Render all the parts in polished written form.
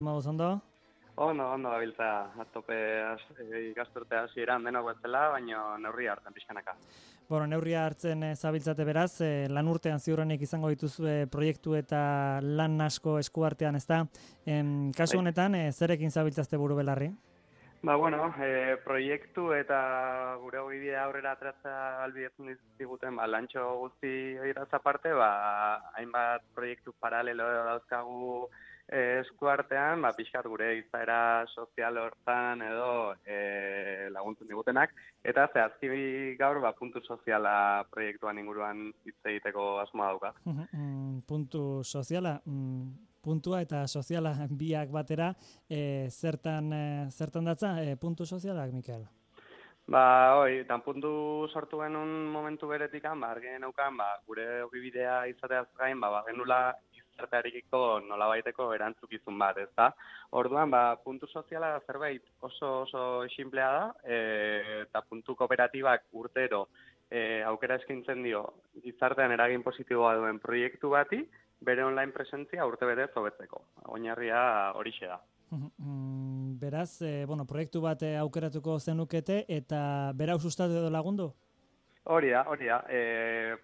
Magoz ondo? Ondo gabiltza, atope ikasturte hasieran denok bezala, baina neurri hartzen pixkanaka. Neurria hartzen zabiltzate beraz, lan urtean ziurrenik izango dituzue proiektu eta lan asko eskuartean, ezta? Kasu honetan, zerekin zabiltzazte buru belarri? Proiektu eta gure ogibidea aurrera atratza albidetzen diguten, lantxo guzti horietaz aparte, hainbat proiektu paralelo dauzkagu eskuartean, pixkat gure izaera sozial hortan edo laguntzen digutenak, eta zehazki gaur puntu soziala proiektuan inguruan hitz egiteko asmoa dauka. Puntu soziala, puntua eta soziala biak batera, zertan datza puntu sozialak, Mikel? Tan puntu sortu genuen momentu beretikan, argien neukan, gure ogibidea izateaz gain, genula gizartearekiko nolabaiteko erantzukizun bat, ezta? Orduan, puntu soziala zerbait oso sinplea da, eta puntu kooperatibak urtero aukera eskaintzen dio gizartean eragin positiboa duen proiektu bati, bere online presentzia urte betez hobetzeko. Oinarria horixe da. Beraz, proiektu bat aukeratuko zenukete eta berau sustatu edo lagundu? Hori da.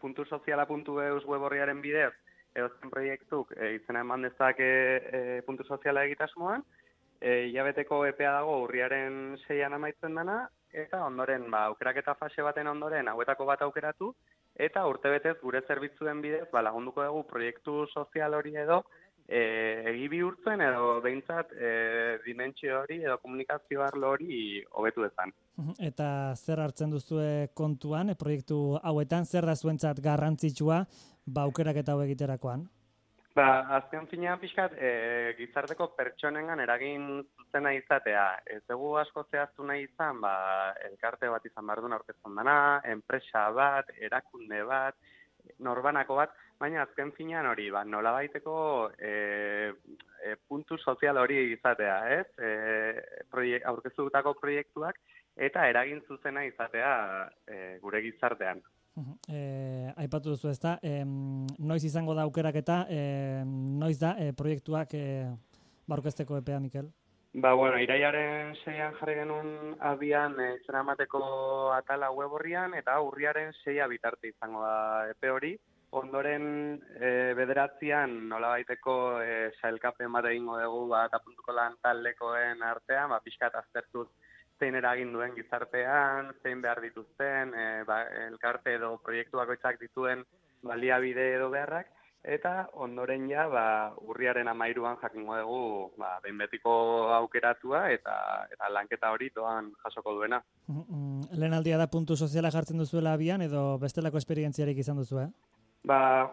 Puntusoziala.eus web horriaren bidez, edozen proiektuk izena eman dezake puntu soziala egitasmoan, hilabeteko epea dago urriaren 6an amaitzen dena, eta ondoren, aukeraketa fase baten ondoren hauetako bat aukeratu, eta urtebetez gure zerbitzuen bidez lagunduko dugu proiektu sozial hori edo egi bihurtzen edo behintzat dimentsio hori edo komunikazio arlo hori hobetu dezan. Eta zer hartzen duzue kontuan, proiektu hauetan, zer da zuentzat garrantzitsua aukeraketa hau egiterakoan? Azken finean pixkat, gizarteko pertsonengan eragin zuzena izatea. Ez dugu asko zehaztu nahi izan, elkarte bat izan behar duen aurkezten dena, enpresa bat, erakunde bat, norbanako bat, baina azken finean hori, nolabaiteko puntu sozial hori izatea, ez? Aurkeztutako proiektuak eta eragin zuzena izatea gure gizartean. Aipatu duzu ezta, noiz izango da aukeraketa, noiz da proiektuak aurkezteko epea, Mikel? Iraiaren 6an jarri genuen abian izena emateko atala web horrian, eta urriaren 6a bitarte izango da epe hori. Ondoren bederatzian nolabaiteko sailkapen bat egingo dugu eta puntuko lan taldekoen artean, pixkat aztertuz zein eragin duen gizartean, zein behar dituzten, elkarte edo proiektu bakoitzak dituen baliabide edo beharrak, eta ondoren urriaren 13an jakingo dugu behin betiko aukeratua eta lanketa hori doan jasoko duena. Lehen aldia da puntu soziala jartzen duzuela abian edo bestelako esperientziarik izan duzu,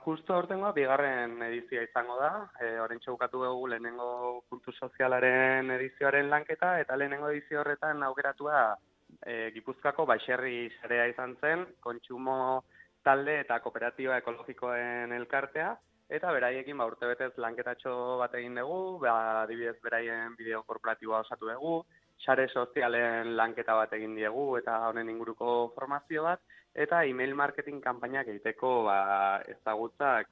Justo hortengoa, bigarren edizioa izango da. Oraintxe bukatu dugu lehenengo puntu sozialaren edizioaren lanketa, eta lehenengo edizio horretan aukeratua Gipuzkoako Baserri sarea izan zen, kontsumo talde eta kooperatiba ekologikoen elkartea, eta beraiekin urtebetez lanketatxo bat egin dugu, adibidez beraien bideo korporatiboa osatu dugu, sare sozialen lanketa bat egin diegu eta honen inguruko formazio bat, eta email marketing kanpainak egiteko ezagutzak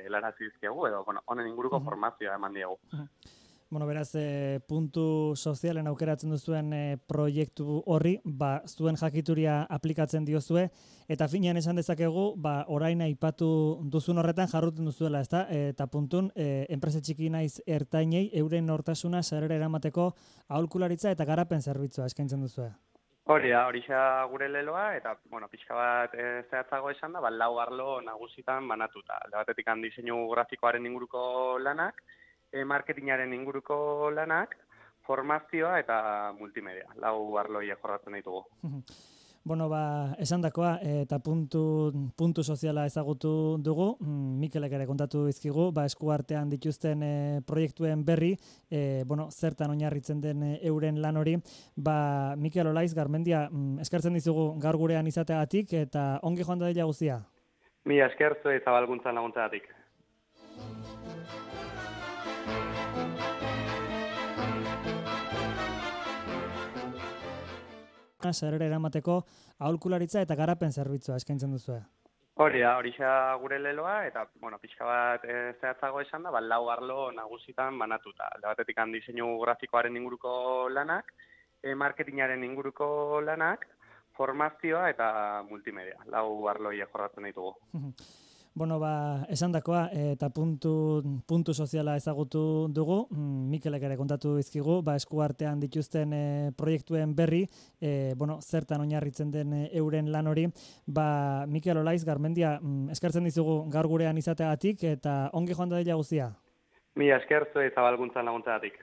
helarazi dizkiegu edo honen inguruko formazioa eman diegu. Beraz, puntu sozialen aukeratzen duzuen proiektu horri, zuen jakituria aplikatzen diozue, eta finean esan dezakegu, orain aipatu duzun horretan jarruten duzuela, ezta? Eta puntun, enpresa txiki naiz ertainei euren nortasuna sarera eramateko aholkularitza eta garapen zerbitzua eskaintzen duzue. Horixa gure leloa, eta pixka bat zehatzago esan da, 4 arlo nagusitan banatuta. Alde batetik diseinu grafikoaren inguruko lanak, marketingaren inguruko lanak, formazioa eta multimedia. 4 arloi jorratzen ditugu. Esandakoa eta puntu soziala ezagutu dugu, Mikelek ere kontatu dizkigu, eskuartean dituzten proiektuen berri, zertan oinarritzen den euren lan hori, Mikel Olaiz Garmendia, eskertzen dizugu gaur gurean izateagatik eta ongi joan dadila guztia. Mila esker zuei zabalkuntzan laguntzagatik. Sarera eramateko aholkularitza eta garapen zerbitzua eskaintzen duzue. Horixe da gure leloa, eta, bueno, pixka bat zehatzago esan da, lau arlo nagusitan banatuta. Alde batetik diseinu grafikoaren inguruko lanak, marketingaren inguruko lanak, formazioa eta multimedia. Lau arloi jorratzen ditugu. Bueno, esandakoa eta puntu soziala ezagutu dugu. Mikelek ere kontatu dizkigu, eskuartean dituzten proiektuen berri, zertan oinarritzen den euren lan hori. Mikel Olaiz Garmendia, eskertzen dizugu gaur gurean izateagatik eta ongi joan dadila guztia. Mila esker zuei zabalkuntzan laguntzagatik.